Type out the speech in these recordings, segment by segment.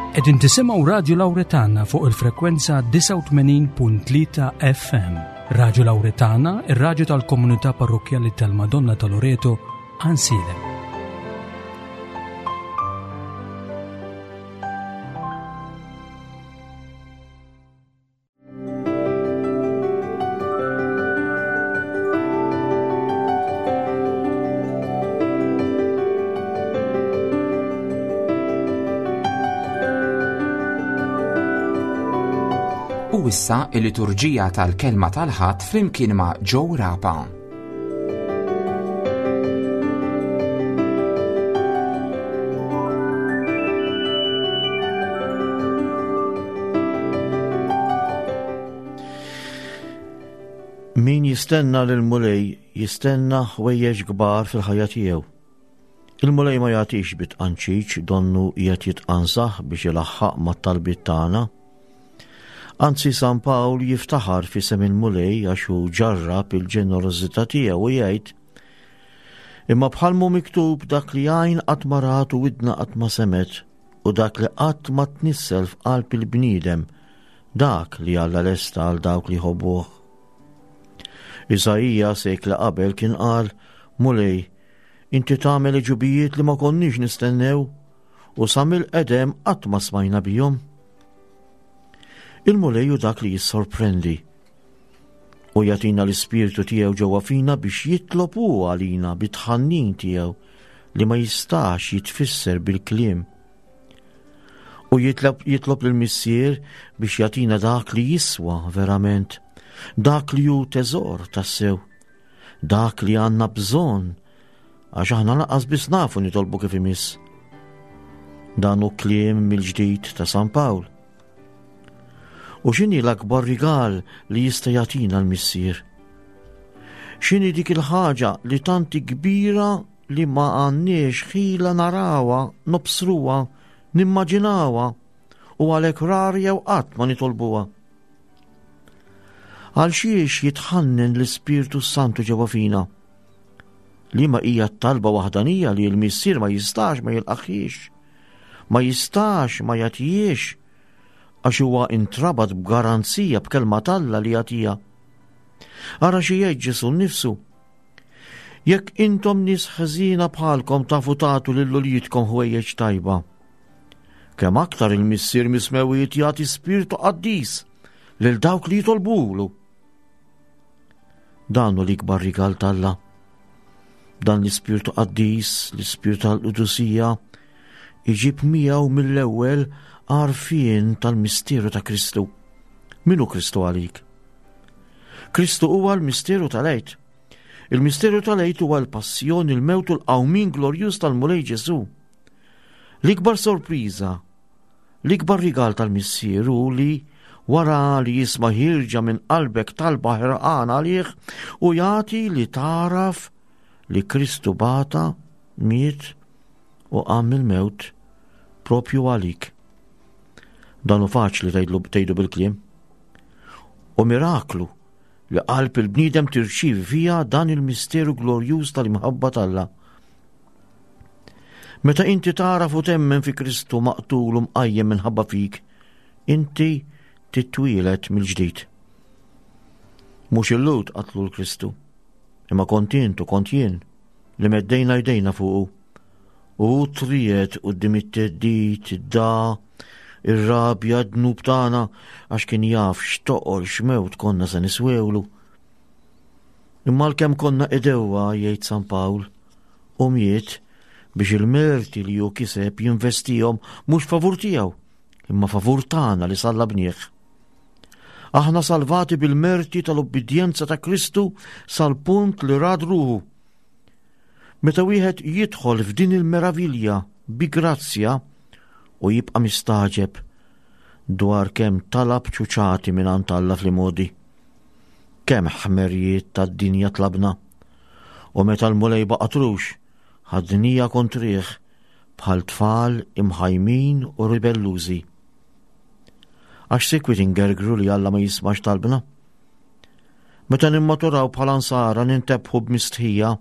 Qegħdin tisimgħu Radju Lawretana fuq il-frekwenza 89.3 FM. Radju Lawretana, ir-radju tal-komunità parrokkjali tal-Madonna ta' Loreto, Ansilem. U issa il-liturġija tal-kelma tal-ħadd flimkien ma' Joe Rapa. Min jistenna lil Mulej jistenna ħwejjeġ kbar fil-ħajja tiegħu. Il-Mulej ma jagħtix bit-tqanċiċ donnu qiegħed jitqanżaħ biex ilaħħaq mat-talbiet tagħna. Anzi San Pawl jiftaħar f'isem il-Mulej għax hu ġarrab il-ġenerożità tiegħu u jgħid Imma bħal mhu miktub dak li għajn qatt ma rat u widna qatt ma semgħet u dak li qatt ma tnissel f'qalb il-bniedem, dak li Alla lesta għal dawk li jħobbuh. Iżaija sekla qabel kien qal, Mulej, inti tagħmel iġubijiet li ma konniex nistennew u sa mill-qedem qatt ma smajna bihom. Il-Mulej hu dak li jissorprendi u jagħtina l-ispirtu tiegħu ġewwa fina biex jitlob hu għalina bit-tħannin tiegħu li ma jistax jitfisser bil-kliem. U jitlob, jitlob lill-Missier biex jagħtina dak li jiswa verament, dak li hu teżor tassew, dak li għandna bżonn Għax aħna lanqas biss nafu nitolbu kif imiss. Dan hu kliem mill-ġdid ta' San Pawl. U x'inhi l-akbar rigal li jista' jagħtina l-Missier? X'inhi dik il-ħaġa li tanti kbira li ma għandniex ħila narawha, nobsruha, nimmaġinawha u għalhekk rar jew qatt ma nitolbuha? Għal xiex jitħannen l-Ispirtu Santu ġewwa fina? Liema hija t-talba waħdanija li l-Missier ma jistax ma jilqaħiex, ma jistax ma jagħtihiex, għax huwa intrabat b'garanzija b'kelma t'Alla li jagħtiha. Ara xi jgħid Ġesù nnifsu. Jekk intom nies ħżiena bħalkom tafu tagħtu lil uliedkom ħwejjeġ tajba. Kemm aktar il-Missier mismewiet jagħti spirtu qaddis lil dawk li jitolbulu. Dan hu l-ikbar rigal t'Alla. Dan l-Ispirtu Qaddis, l-Ispirtu tal-Qdusija, iġib miegħu mill-ewwel għarfien tal-misteru ta' Kristu. Min hu Kristu għalik? Kristu huwa l-misteru tal-Għid. Il-misteru tal-Għid huwa l-passjoni, il-mewt u l-qawmin glorjuż tal-Mulej Ġesù. L-ikbar sorpriża L-ikbar rigal tal-Missier hu li wara li jisma' ħierġa minn qalbek talba ħerqana għalih u jagħti li tagħraf li Kristu bata, miet u qam mill-mewt propju għalik. Dan hu faċli tgħidu bil-kliem. U miraklu li qalb il-bniedem tirċievi fiha dan il-misteru glorjuż tal-imħabba t'Alla. Meta inti tagħraf u temmen fi Kristu maqtul u mqajjem minħabba fik, inti titwieled mill-ġdid. Mhux il-Lhud qatlu l-Kristu, imma kont int u kont jien li meddejna jdejna fuqu. U hu tried quddiem it-theddid, id-da, ir-rabja, d-dnub tagħna għax kien jaf x'toqol x'mewt konna se niswewlu. Imma għalkemm konna idewwa, jgħid San Pawl, u miet biex il-merti li hu kiseb jinvestihom mhux favur tiegħu, imma favur tagħna li sallabnieh. Aħna salvati bil-merti tal-ubbidjenza ta' Kristu sal-punt li rad ruħu. Meta wieħed jidħol f'din il-meravilja bi grazzja u jibqa' mistaġeb dwar kemm talab ċuċati minn Alla fl-imodi. Kemm ħmerijiet tad-dinja tlabna. U meta l-Mulej baqatrux, ħadnija kontrih bħal tfal imħajmin u ribellużi. Għax sikwit ingergru li Alla ma jismax talbna. Meta nimmaturaw bħala nsara nintebħu b'mistħija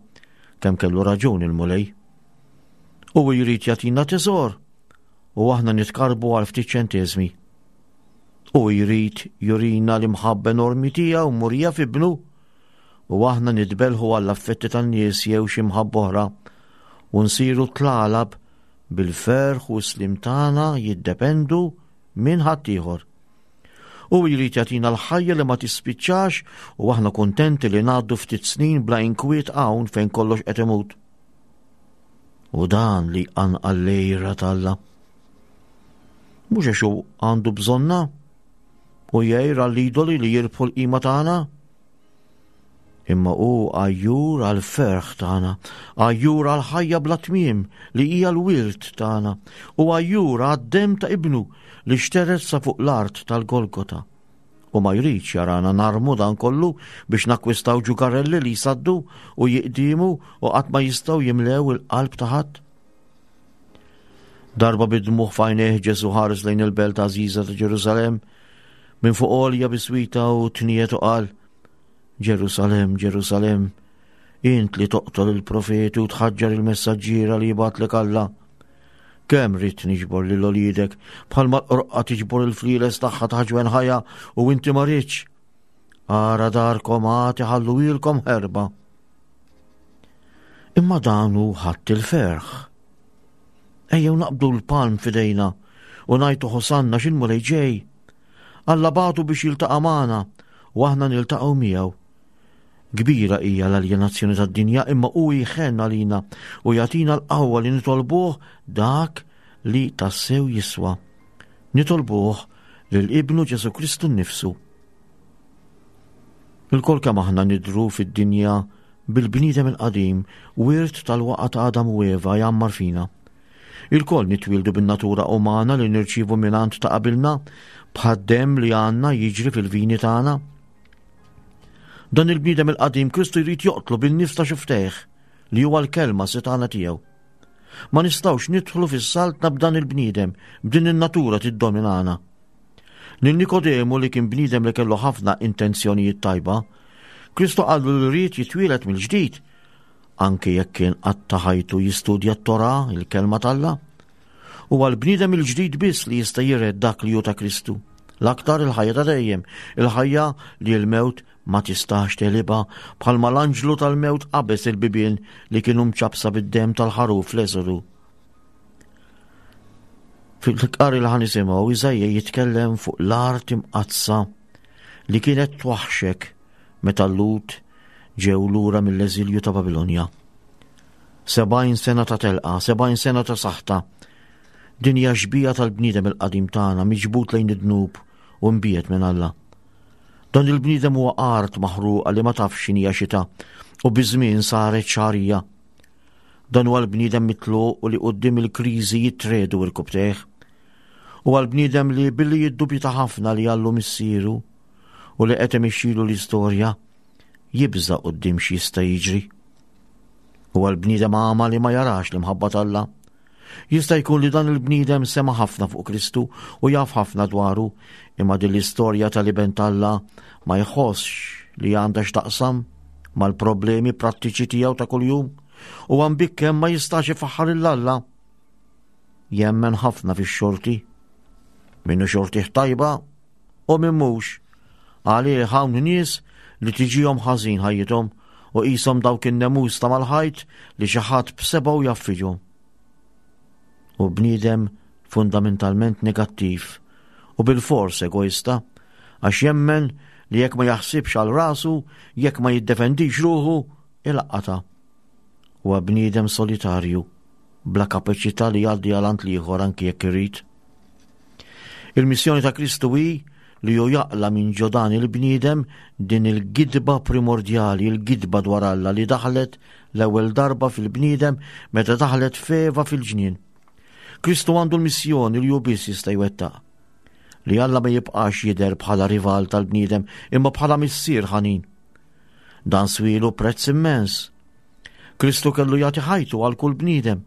kemm kellu raġun il-Mulej. U jrid jagħtina teżor. u aħna nitkarbu għal ftit ċenteżmi. Hu jrid jurina l-imħabba enormi tiegħu murija f'ibnu u aħna nitbelħu għall-affetti tan-nies jew xi mħabba oħra u nsiru tlalab bil-ferħ u s-slim tagħna jiddependu minn ħaddieħor. Hu jrid jagħtina l-ħajja li ma tispiċċax u aħna kuntenti li ngħaddu ftit snin bla inkwiet hawn fejn kollox qed imut. U dan li jqanqal l-għira t'Alla. Mhux għax hu għandu bżonna u jgħir għall-idoli li jirbħu l-qima tagħna. Imma hu għajjur għall-ferħ tagħna, għajjur għall-ħajja bla tmiem li hija l-wirt tagħna, u għajjur għad-demm ta' ibnu li xtered sa fuq l-art tal-Golgota. U ma jridx jarana narmu dan kollu biex nakkwistaw ġugarelli li jsaddu u jiqdimu u qatt ma jistgħu jimlew il-qalb ta' ħadd. Darba bid-dmugħ f'għajnejh Ġesu ħares lejn il-belt għażiża ta' Ġerusalemm minn fuq għolja biswita u tniet u qal Ġerusalemm, Ġerusalemm, int li toqtol il-profeti u tħaġġar il-messaġġiera li jibgħatlek Alla. Kemm ridt niġbor lil uliedek bħalma l-qroqqa tiġbor il-flieles tagħha ta' ħajja u inti ma ridx. Ara darkom għad iħalluhielkom ħerba. Imma dan hu ħadd il-ferħ. Ejjew naqbdu l-palm f'idejna u ngħajtu Hosanna x'il-Mulej ġej. Alla bagħtu biex jiltaqa' magħna u aħna niltaqgħu miegħu. Kbira hija l-aljenazzjoni tad-dinja imma hu jħenn għalina u jagħtina l-qawwa li nitolbuh dak li tassew jiswa. Nitolbuh lil Ibnu Ġesu Kristu nnifsu. Ilkoll kemm aħna nidhru fid-dinja bil-bniedem il-qadim, wirt tal-waqgħa ta' Adam u Eva jgħammar fina. Ilkoll nitwieldu bin-natura umana li nirċievu mingħand ta' qabilna, bħad-demm li għandna jiġri fil-vini tagħna. Dan il-bniedem il-qadim Kristu jrid joqtlu bin-nifs ta' xuftejh, li huwa l-kelma setgħana tiegħu. Ma nistgħux nidħlu fis-saltna b'dan il-bniedem, b'din in-natura tiddominana. Lil Nikodemu li kien bniedem li kellu ħafna intenzjonijiet tajba, Kristu qallu li ried jitwieled mill-ġdid, anke jekk kien qatta' ħajtu jistudja t-Torah, il-kelma t'Alla. Huwa l-bniedem il-ġdid biss li jista' jiret dak li hu ta' Kristu. L-aktar il-ħajja ta' dejjem, il-ħajja li l-mewt ma tistax tegħlibha bħalma l-anġlu tal-mewt qabeż il-bibien li kienu mċappsa bid-demm tal-ħaruf fl-Eżodu. Fil-qari li ħanisimgħu Iżaija jitkellem fuq l-art imqaddsa li kienet twaħxek meta l-Lhud ġew lura mill-eżilju ta' Babilonja. 70 sena ta' telqa, 70 sena ta' saħta. Din hija xbija tal-bniedem il-qadim tagħna miġbud lejn id-dnub u mbiegħed minn Alla. Dan il-bniedem huwa art maħruqa li ma tafx x'inhija xita u biż-żmien saret xagħrija. Dan huwa l-bniedem mitluq u li quddiem il-kriżi jitredu irkubtejh. Huwa l-bniedem li billi jiddubita ħafna li Allu missieru u li qed imixxilu l-istorja, jibża' quddiem x'jista' jiġri. Huwa l-bniedem għama li ma jarax l-imħabba t'Alla. Jista' jkun li dan il-bniedem sema' ħafna fuq Kristu u jaf ħafna dwaru, imma din l-istorja tal-Iben t'Alla ma jħossx li għandha x'taqsam mal-problemi prattiċi tiegħu ta' kuljum u għambikkem ma jistax ifaħħar 'il Alla. Jemmen ħafna fix-xorti. Minnu xortih tajba u min mhux. Għalih hawn nies li tiġihom ħażin ħajjithom u qishom dawk in-nemus ta' mal-ħajt li xi ħadd b'sebgħu jaffiġhom. U bniedem fundamentalment negattiv u bilfors egoista għax jemmen li jekk ma jaħsibx għal rasu, jekk ma jiddefendix ruħu, ilaqqata. Huwa bniedem solitarju, bla kapaċità li jgħaddi għal għand l-ieħor anki jekk irid. Il-missjoni ta' Kristu hi li hu jaqla' minn ġo dan il-bniedem din il-gidba primordjali, il-gidba dwar Alla li daħlet l-ewwel darba fil-bniedem meta daħlet f'Eva fil-ġnien. Kristu għandu l-missjoni li hu biss jista' jwettaq. Li Alla ma jibqax jidher bħala rival tal-bniedem imma bħala missier ħanin. Dan swielu prezz immens. Kristu kellu jagħti ħajtu għal kull bniedem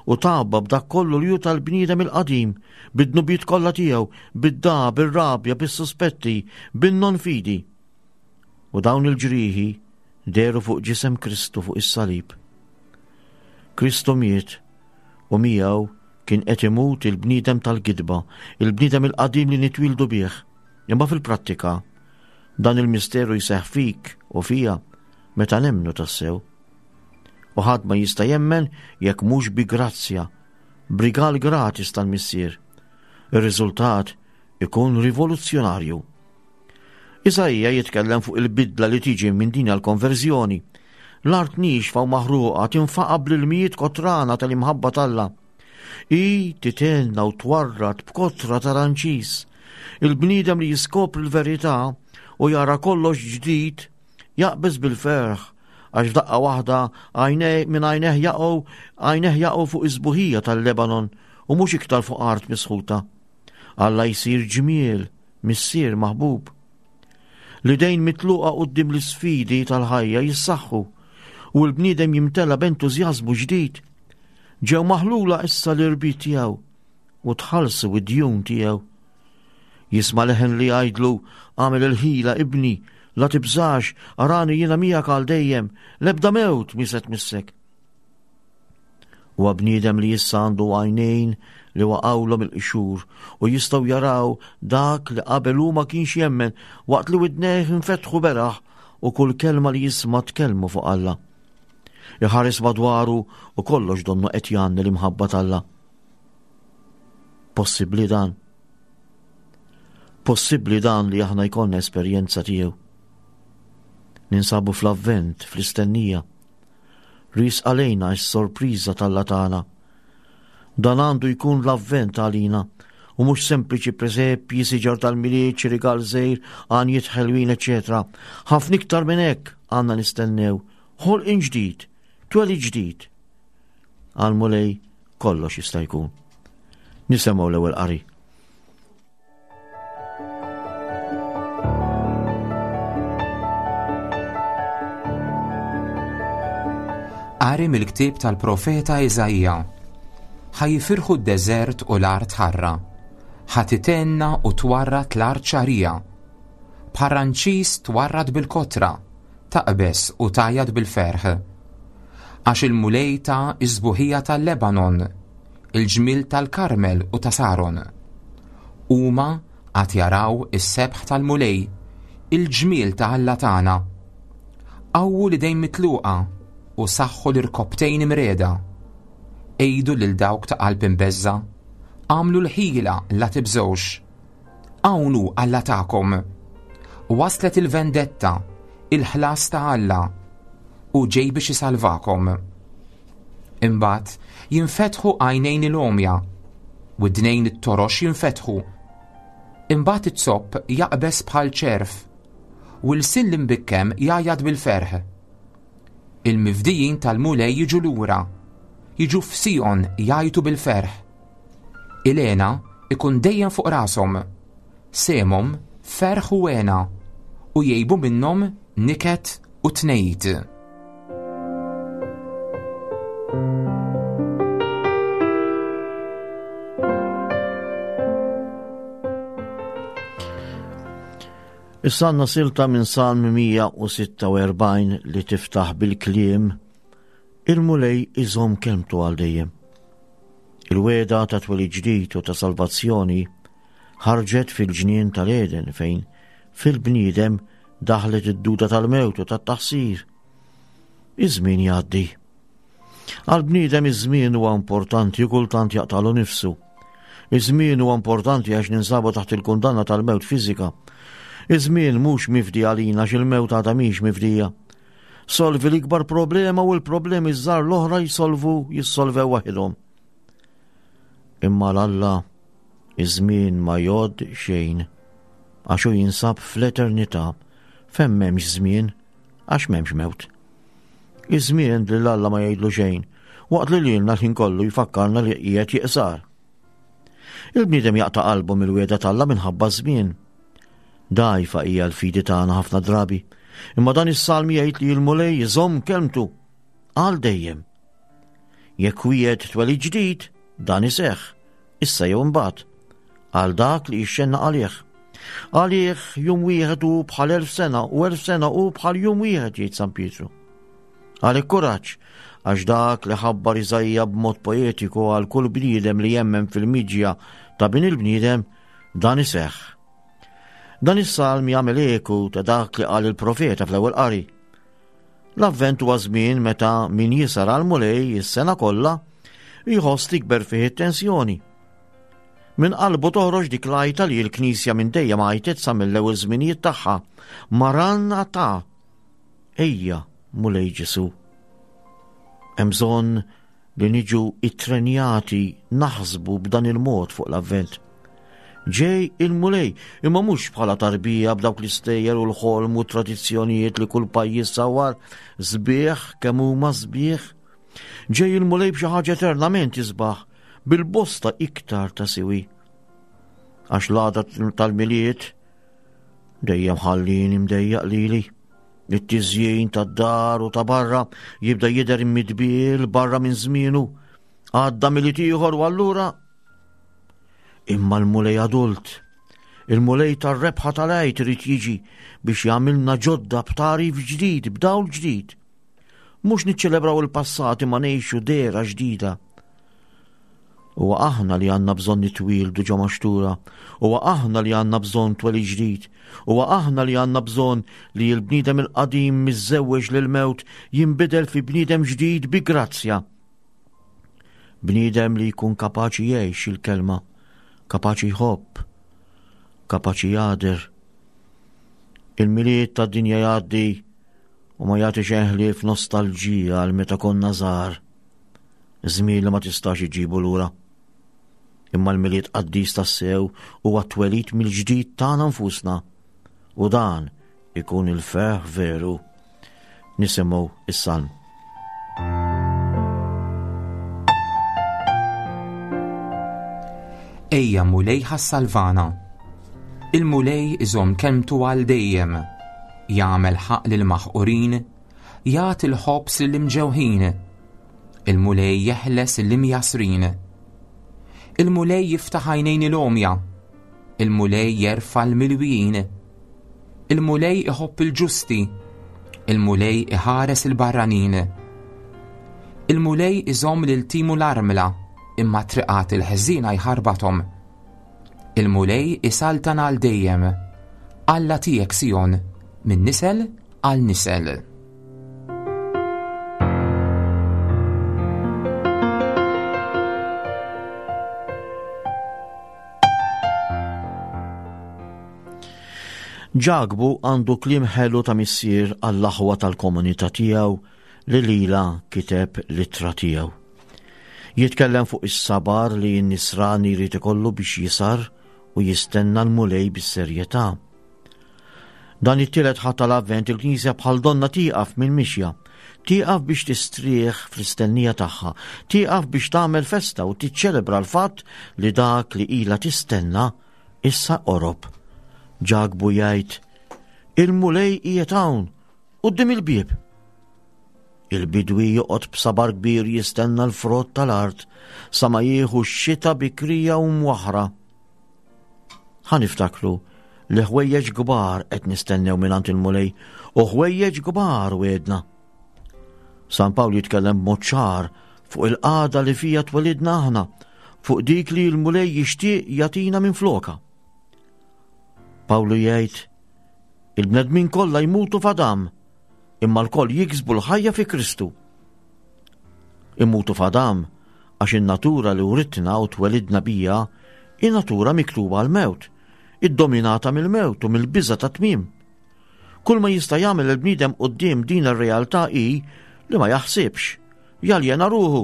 u tgħabba b'dak kollu li hu tal-bniedem il-qadim, bid-dnubiet kollha tiegħu, bid-dagħa, bir-rabja, bis-suspetti, bin-non-fidi. U dawn il-ġrieħi dehru fuq ġisem Kristu fuq is-salib. Kristu miet u miegħu Kien qed imut il-bniedem tal-gidba, il-bniedem il-qadim li nitwieldu bih. Imma fil-prattika, dan il-misteru jseħħ fik u fija meta nemmnu tassew. U ħadd ma jista' jemmen jekk mhux bi grazzja, b'rigal gratis tal-Missier. Ir-riżultat ikun rivoluzzjonarju. Isaija jitkellem fuq il-bidla li tiġi minn din l-konverżjoni. L-art niexfa u maħruqa tinfaqa' bl-ilmijiet kotrana tal-imħabba t'Alla. Hi titenna u twarrad b'kotra ta' ranċis. Il-bniedem li jiskopri l-verità u jara kollox ġdid jaqbeż bil-ferħ għax f'daqqa waħda għajnej minn għajneh jaqgħu għajneh jaqgħu fuq is-sbuħija tal-Lebanon u mhux iktar fuq art misħuta. Alla jsir ġmiel, missier maħbub. L-idejn mitluqa quddiem l-isfidi tal-ħajja jissaħħu u l-bniedem jimtela b'entużjażmu ġdid. Ġew maħlula issa l-irbit tiegħu u tħallsu id-djun tiegħu. Jisma' leħen li jgħidlu għamel il-ħila ibni, la tibżax, arani jiena miegħek għal dejjem, l-ebda mewt mi se tmissek. Huwa bniedem li issa għandu għajnejn li waqgħulhom il-qxur u jistgħu jaraw dak li qabel hu ma kienx jemmen waqt li widnejh infetħu beraħ u kull kelma li jisma' tkellmu fuq Alla. Iħares madwaru u kollox donnu qed jgħanni l-imħabba t'Alla. Possibbli dan? Possibbli dan li aħna jkollna esperjenza tiegħu? Ninsabu fl-avvent, fl-istennija. Riesqa lejna s-sorpriża t'Alla tagħna. Dan għandu jkun l-Avvent għalina u mhux sempliċi presepji, siġar tal-Milied, xi rigal żgħir, għanjiet ħelwin, eċċetera. Ħafna iktar minn hekk għandna nistennew ħolqien ġdid, twelid ġdid. Għall-Mulej kollox jista' jkun. Nisemgħu l-ewwel qari. Qari mill-ktieb tal-profeta Iżaija. Ħa jifirħu d-deżert u l-art ħarra. Ħa titenna u twarrad l-art xagħrija. Bħar-ranċis twarrad bil-kotra, taqbeż u tgħajjat bil-ferħ. Għax il-Mulej ta s-sbuħija tal-Lebanon, il-ġmiel tal-Karmel u ta' Saron. Huma għad jaraw is-sebħ tal-Mulej, il-ġmiel ta' Alla tagħna. Qawwu l-idejn mitluqa u saħħu l-irkopptejn imriegħda. Għidu lil dawk ta' qalb imbeżża', Agħmlu l-ħila la tibżgħux. Hawn hu Alla tagħkom. Waslet il-vendetta, il-ħlas ta' Alla, u ġej biex isalvakom. Imbagħad jinfetħu għajnejn il-għomja, u dnejn it-torox jinfetħu. Imbagħad iz-zopp jaqbeż bħal ċerf, u l-sin l-imbikkem jgħajjat bil-ferħ. Il-mifdijin tal-Mulej jiġu lura, jiġu f'Sijon jgħajtu bil-ferħ. Il-hena ikun dejjem fuq rashom, sehemhom ferħ u hena, u jgħibu minnhom niket u tnehid. Issa għandna silta minn Salm 146 li tiftaħ bil-kliem Il-Mulej iżomm kelmtu għal dejjem. Il-wegħda ta' twelid ġdid u ta' salvazzjoni ħarġet fil-ġnien tal-Eden fejn fil-bniedem daħlet id-duda tal-mewt u tat-taħsir. Iż-żmien jgħaddi. Għal-bniedem iż-żmien huwa importanti u kultant jaqtalu nifsu. Iż-żmien huwa importanti għax ninsabu taħt il-kundanna tal-mewt fiżika. Iż-żmien mhux mifdi għalina għax il-mewt għadha mhix mifdija. Solvi l-ikbar problema u l-problemi żgħar l-oħra jsolvu jissolvew waħidhom. Imma l-Alla iż-żmien ma jgħodd xejn għax hu jinsab fl-eternità fejn m'hemmx żmien għax m'hemmx mewt. Iż-żmien lil Alla ma jgħidlu xejn waqt li lilna l-ħin kollu jfakkarna li qiegħed jiqsar. Il-bniedem jaqta' qalbu mill-wiegħda t'Alla minħabba ż-żmien. Dgħajfa hija l-fidi tagħna ħafna drabi, imma dan is-salm jgħid li l-Mulej iżomm kelmtu għal dejjem. Jekk wiegħed twelid ġdid, dan iseħħ, issa jew imbagħad, għal dak li jixxennaq għalih. Għalih jum wieħed hu bħal elf sena u elf sena hu bħal jum wieħed jgħid San Pietru. Għalhekk kuraġġ, Għax dak li ħabbar Iżaija b'mod poetiku għal kull bniedem li jemmen fil-miġja ta' bin il-bniedem, dan iseħħ. Dan is-salm jagħmel eku ta' dak li qal il-profeta fl-ewwel qari. L-Avvent huwa żmien meta min jisar għal Mulej is-sena kollha jħoss tikber fih it-tensjoni. Minn qalbu toħroġ dik l-għajta li l-Knisja minn dejjem għajtet sa mill-ewwel żminijiet tagħha, Maranatha! Ejja, Mulej Ġesu. Hemm bżonn li niġu ittrenjati naħsbu b'dan il-mod fuq l-Avvent. Ġej il-Mulej, imma mhux bħala tarbija b'dawk l-istejjer u l-ħolm u tradizzjonijiet li kull pajjiż sawar sbieħ kemm huma sbieħ. Ġej il-Mulej b'xi ħaġa eternament isbaħ, bil-bosta iktar ta' siwi. Għax l-għada tal-Milied dejjem ħallini mdejjaq lili. It-tiżjin tad-dar u ta' barra jibda jidher immidbiel barra minn żmienu. Għadda Milied ieħor u allura Imma l-Mulej adult, il-Mulej tar-rebħa tal-Għid irid jiġi biex jagħmilna ġodda b'tagħrif ġdid, b'dawl ġdid. Mhux niċċelebraw il-passat imma ngħixu dehra ġdida. Huwa aħna li għandna bżonn nitwieldu ġo maxtura, huwa aħna li għandna bżonn twelid ġdid, huwa aħna li għandna bżonn li l-bniedem il-qadim miżżewweġ lil mewt jinbidel fi bniedem ġdid bi grazzja. Bniedem li jkun kapaċi jgħix il-kelma, kapaċi jħobb, kapaċi jagħder. Il-Milied tad-dinja jgħaddi u ma jagħti xejn ħlief nostalġija għal meta konna żgħar. Żmien li ma tistax iġibu lura. Imma l-Milied qaddis tassew huwa t-twelid mill-ġdid tagħna nfusna u dan ikun il-ferħ veru. Nisimgħu is-salm. Ejja Mulej ħassalvana. Il-Mulej iżomm kelmtu għal dejjem, jagħmel ħaq lil maħqurin, jagħti l-ħobż lil imġewħin. Il-Mulej jeħles l-imjasrin. Il-Mulej jiftaħ għajnejn il-għomja. Il-Mulej jerfa' l-milwijin. Il-Mulej iħobb il-ġusti. Il-Mulej iħares il-barranin. Il-Mulej iżomm lil timu l-armla, imma triqat il-ħżiena jħarbathom. Il-Mulej isaltan għal dejjem. Alla tiegħek Sijon, minn nisel għal nisel. Ġakbu għandu kliem ħelu ta' missier għall-aħwa tal-komunità tiegħu li lilha kiteb l-ittra tiegħu. Jitkellem fuq is-sabar li n-nisrani jrid ikollu biex jisar u jistenna l-Mulej bis-serjetà. Dan it-tielet Ħadd tal-Avvent il-Knisja bħal donna tieqaf mill-mixja, tieqaf biex tistrieħ fl-istennija tagħha, tieqaf biex tagħmel festa u tiċċelebra l-fatt li dak li ilha tistenna issa qorob. Ġakbu jgħid, Il-Mulej qiegħed hawn, quddiem il-bieb. Il-bidwi joqgħod b'sabar kbir jistenna l-frott tal-art sa ma jieħu x-xita bikrija u mwaħra. Ħa niftakru li ħwejjeġ kbar qed nistennew mingħand il-Mulej u ħwejjeġ kbar wegħedna. San Pawl jitkellem b'mod ċar fuq il-qagħda li fija twelidna aħna, fuq dik li l-Mulej jixtieq jagħtina minn floka. Pawlu jgħid, il-bnedmin kollha jmutu f'Adam, imma lkoll jiksbu l-ħajja fi Kristu. Immutu f'Adam għax in-natura li writna u twelidna bija hi natura miktuba għall-mewt, iddominata mill-mewt u mill-biża' tat-tmiem. Kull ma jista' jagħmel il-bniedem quddiem din ir-realtà hi li ma jaħsibx, jaljena ruħu,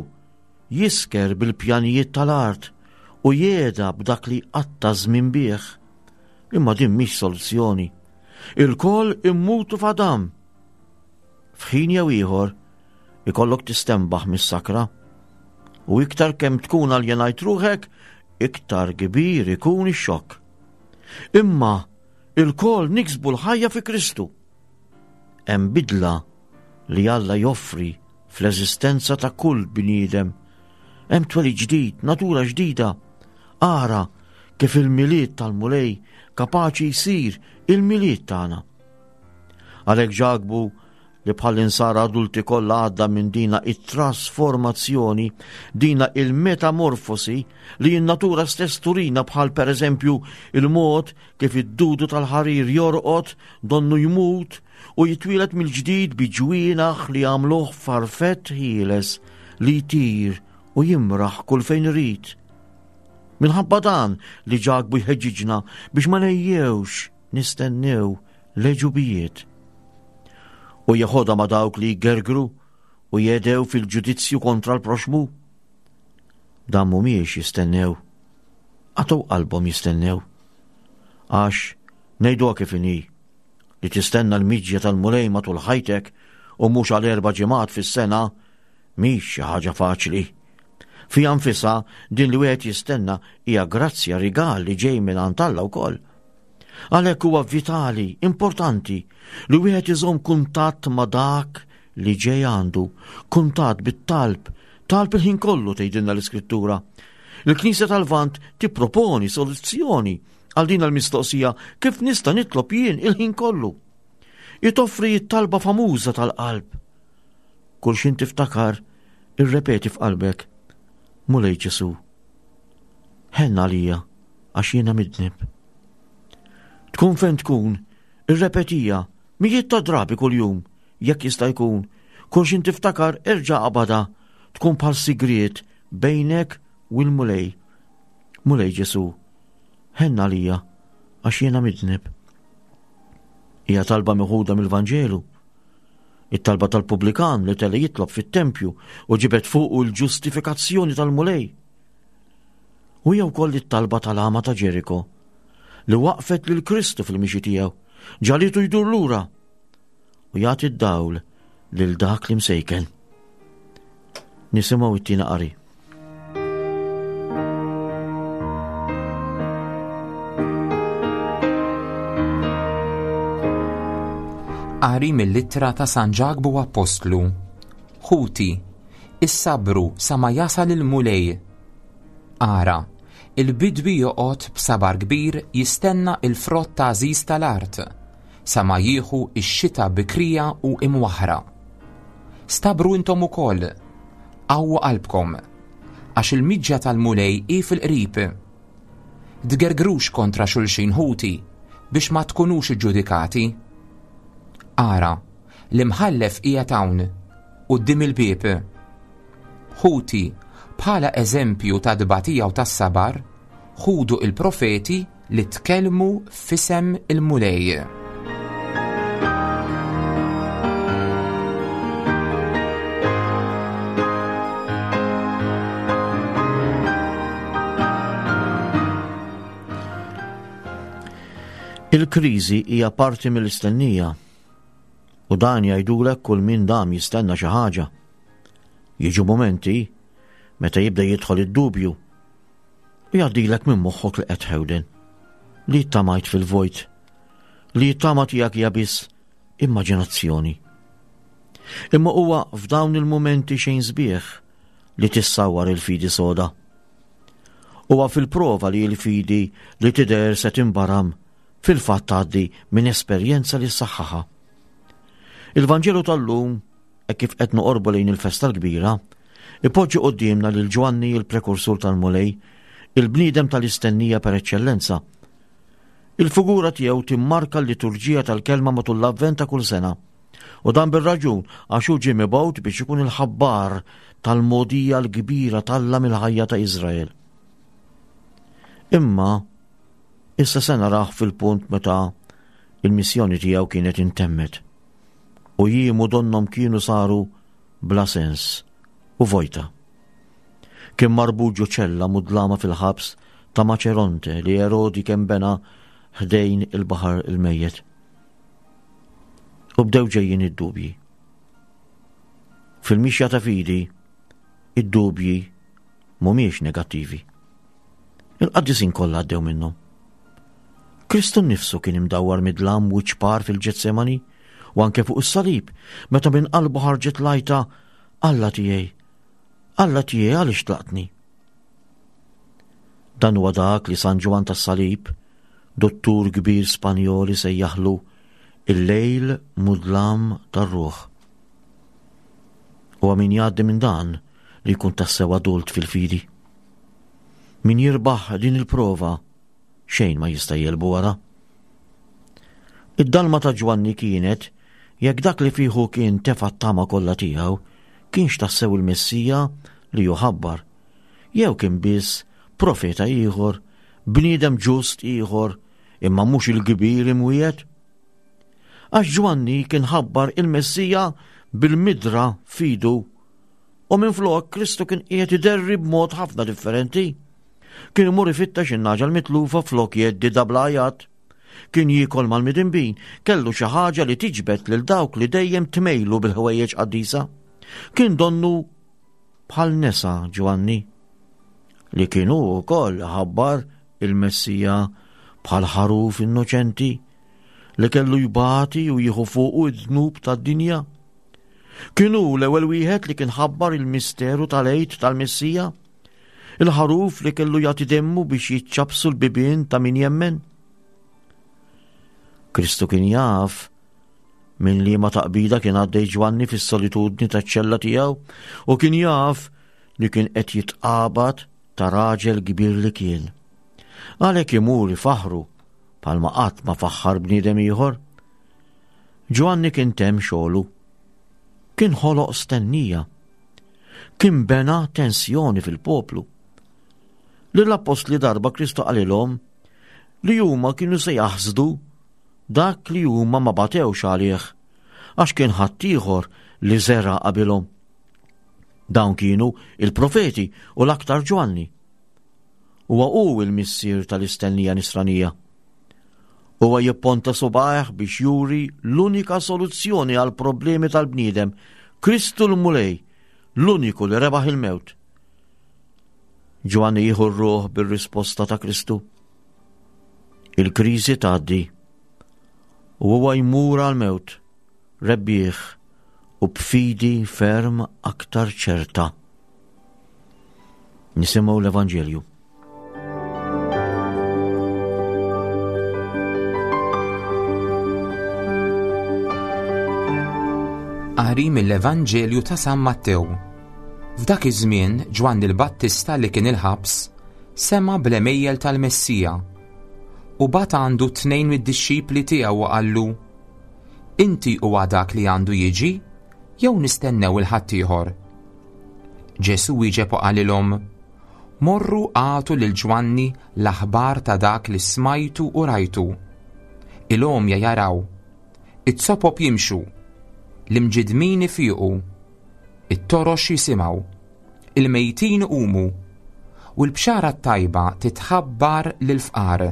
jisker bil-pjanijiet tal-art u jehda b'dak li jqatta' żmien bih. Imma din mhix soluzzjoni. Ilkoll immutu f'Adam. F'ħin jew ieħor, ikollok tistenbaħ mis-sakra. U iktar kemm tkun aljenajt ruħek, iktar kbir ikun ix-xokk. Imma ilkoll niksbu l-ħajja fi Kristu. Hemm bidla li Alla joffri fl-eżistenza ta' kull bniedem. Hemm twelid ġdid, natura ġdida. Ara kif il-Milied tal-Mulej kapaċi jsir il-Milied tagħna. Għalhekk Ġakbu. li bħall-insara adulti kollha għadda minn dina it-trasformazzjoni, dina il-metamorfosi li n-natura stess turina bħal pereżempju il-mod kif id-dudu tal-ħarir jorqod donnu jmut u jitwieled mill-ġdid bi ġwienaħ li jagħmluh farfett ħieles li jtir u jimraħ kull fejn irid. Minħabba dan li Ġakbu jħeġġiġna biex ma nejjewx nistennew l-għeġubijiet. U jeħodha ma' dawk li jgergru u jedew fil-ġudizzju kontra l-proxmu. Dan mhumiex jistennew, għatow qalbhom jistennew. Għax ngħiduha kif inhi, li tistenna l-miġja tal-Mulej matul ħajtek u mhux għal erba' ġimgħat fis-sena mhix xi ħaġa faċli. Fiha nfisha din li wieħed jistenna hija grazzja rigal li ġej minn għand Alla wkoll. Għalhekk huwa vitali, importanti, li wieħed iżomm kuntatt ma' dak li ġej għandu, kuntatt bit-talb, talb il-ħin kollu tgħidilna l-Iskrittura. Il-Knisja tal-Lvant tipproponi soluzzjoni għal din l-mistoqsija kif nista' nitlob jien il-ħin kollu. Hi toffri t-talba famuża tal-qalb. Kull xin tiftakar, irrepeti f'qalbek, Mulej Ġesu, ħenn għalija għax jiena midnib. Tkun fejn tkun, irrepetija mijiet ta' drabi kuljum, jekk jista' jkun. Kull xin tiftakar erġa' qabadha, tkun bħal sigriet bejnek u l-Mulej. Mulej Ġesu, ħenn għalija għax jiena midnib. Hija talba meħuda mill-Vanġelu. It-talba tal-pubblikan li tela jitlob fit-tempju u ġibet fuqu l-ġustifikazzjoni tal-Mulej. U hija wkoll it-talba tal-għama ta' Ġeriko li waqfet lil Kristu fil-mixi tiegħu, ġalitu jdur lura u jagħti d-dawl lil dak li msejken. Nisimgħu it-tieni qari. Qari mill-ittra ta' San Ġakbu Appostlu. Ħuti, issabru sa ma jasal il-Mulej. Ara, il-bidwi joqgħod b'sabar kbir jistenna il-frott ta' għażiż tal-art, sa ma jieħu x-xita bikrija u imwaħħra. Stabru intom ukoll, qawwu qalbkom, għax il-miġja tal-Mulej hi fil-qrib. Tgergrux kontra xulxin ħuti biex ma tkunux iġġudikati. Ara, l-imħallef qiegħed hawn, quddiem il-bieb. Ħuti, bħala eżempju ta' tbatija u tas-sabar, ħudu il-profeti li tkellmu f'isem il-Mulej. Il-kriżi hija parti mill-istennija u dan jgħidulek kull min dam jistenna xi ħaġa. Jiġu mumenti meta jibda jidħol id-dubju u jgħaddilek minn moħħok li qed tħewden, li ttamajt fil-vojt, li t-tama tiegħek hija biss immaġinazzjoni. Imma huwa f'dawn il-mumenti xejn sbieħ li tissawwar il-fidi soda. Huwa fil-prova li l-fidi li tidher se tinbaram fil-fatt tgħaddi minn esperjenza li ssaħħaħa. Il-Vanġelu tal-lum Hekk kif qed noqorbu lejn il-festa l-kbira, ipoġġi quddiemna lil Ġwanni il-prekursur tal-Mulej, il-bniedem tal-istennija per eċċellenza. Il-figura tiegħu timmarka l-liturġija tal-kelma matul l-Avvent ta' kull sena. U dan bir-raġun għax hu ġie mibgħut biex ikun il-ħabbar tal-mogħdija l-kbira t'Alla mill-ħajja ta' Iżrael. Imma issa se narah fil-punt meta il-missjoni tiegħu kienet intemmet. u jiemu donnhom kienu saru bla sens u vojta. Kien marbut ġo ċella mudlama fil-ħabs ta' Maċeronte li Erodi kemm bena ħdejn il-Baħar il-Mejjet. U bdew ġejjin id-dubji. Fil-mixja ta' fidi, id-dubji mhumiex negattivi. Il-qaddisin kollha għaddew minnhom. Kristu nnifsu kien imdawwar mid-dlam wiċċ par fil-Ġetsemani u anke fuq is-salib meta minn qalbu ħarġet l-għajta Alla tiegħi, Alla tiegħi għaliex tlaqtni? Dan huwa dak li San Ġwann tas-Salib, dottur kbir Spanjol isejjaħlu il-lejl mudlam tar-ruħ. Huwa min jgħaddi minn dan li jkun tassew adult fil-fidi. Min jirbaħ din il-prova xejn ma jista' jegħlbu wara. Id-dalma ta' Ġwanni kienet jekk dak li fiħu kien tefa' t-tama kollha tiegħu kienx tassew il-Messija li hu ħabbar, jew kien biss profeta ieħor, bniedem ġust ieħor, imma mhux il-kbir imwiegħed. Għax Ġwanni kien ħabbar il-Messija bil-midra f'idu u minflok Kristu kien qiegħed iderri b'mod ħafna differenti. Kien imur ifittex in-nagħġa l-mitlufa flok jgħeddidha bl-għajat. Kien jiekol mal-midinbin, kellu xi ħaġa li tiġbed lil dawk li dejjem tmejlu bil-ħwejjeġ qaddisa. Kien donnu bħal nesa Ġwanni, li kien hu wkoll ħabbar il-Messija bħal ħaruf innoċenti li kellu jbati u jieħu fuqu id-dnub tad-dinja. Kien hu l-ewwel wieħed li kien ħabbar il-misteru tal-Għid tal-Messija, il-ħaruf li kellu jagħti demmu biex jiċċabsu l-bibien ta' min jemmen. Kristu kien jaf minn liema taqbida kien għaddej Ġwanni fis-solitudni taċ-ċella tiegħu u kien jaf li kien qed jitqabad ta' raġel kbir li kien. Għalhekk imur ifaħħru bħalma qatt ma faħħar bniedem ieħor. Ġwanni kien temm xogħlu. Kien ħoloq stennija. Kien bena tensjoni fil-poplu. Lill-appostli darba Kristu qalilhom li huma kienu se jaħsdu dak li huma ma batewx għalih għax kien ħaddieħor li żera' qabilhom. Dawn kienu il-profeti u l-aktar Ġwanni. Huwa hu l-missier tal-istennija nisranija. Huwa jipponta subgħajh biex juri l-unika soluzzjoni għal problemi tal-bniedem, Kristu l-Mulej, l-uniku li rebaħ il-mewt. Ġwanni jieħu r-ruħ bir-risposta ta' Kristu. Il-kriżi tgħaddi u huwa jmur għall-mewt rebbieħ u b'fidi ferm aktar ċerta. Nisimgħu l-Evanġelju. Qari mill-Evanġelju ta' San Mattew. F'dak iż-żmien Ġwanni l-Battista li kien il-ħabs sema' bl-għemejjel tal-Messija u bagħat għandu tnejn mid-dixxipli tiegħu u qallu, Inti huwa dak li għandu jiġi jew nistennew il-ħaddieħor? Ġesù wieġeb u qalilhom, Morru agħtu lil Ġwanni l-aħbar ta' dak li smajtu u rajtu. Il-għomja jaraw, it-sopop jimxu, l-imġidmin ifiqu, it-torox jisimgħu, il-mejtin iqumu, u l-bxara t-tajba titħabbar lill-fqar.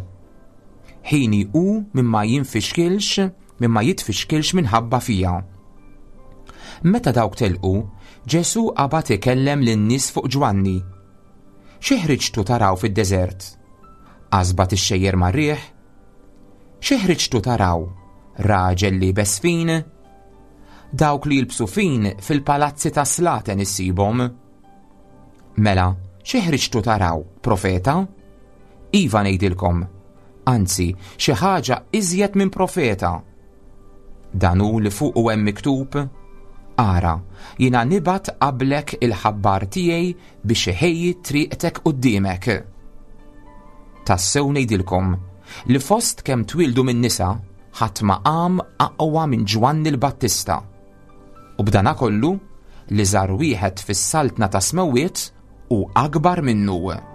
Ħini hu min ma jinfixkilx, min ma jitfixkilx minħabba fija. Meta dawk telqu, Ġesù qabad ikellem lin-nies fuq Ġwanni. Xi ħriġtu taraw fid-deżert? Qasba tixxejjer mar-riħ? Xi ħriġtu taraw? Raġel liebes fin? Dawk li jilbsu fin fil-palazzi ta' slaten issibhom. Mela, xi ħriġtu taraw, profeta? Iva ngħidilkom, anzi, xi ħaġa iżjed minn profeta. Dan hu li fuqu hemm miktub, Ara, jiena nibgħat qablek il-ħabbar tiegħi biex iħejji triqtek quddiemek. Tassew ngħidilkom li fost kemm twieldu minn nisa ħadd ma qam aqwa minn Ġwanni l-Battista. U b'dana kollu, l-iżgħar wieħed fis-saltna tas-smewwiet hu akbar minnu.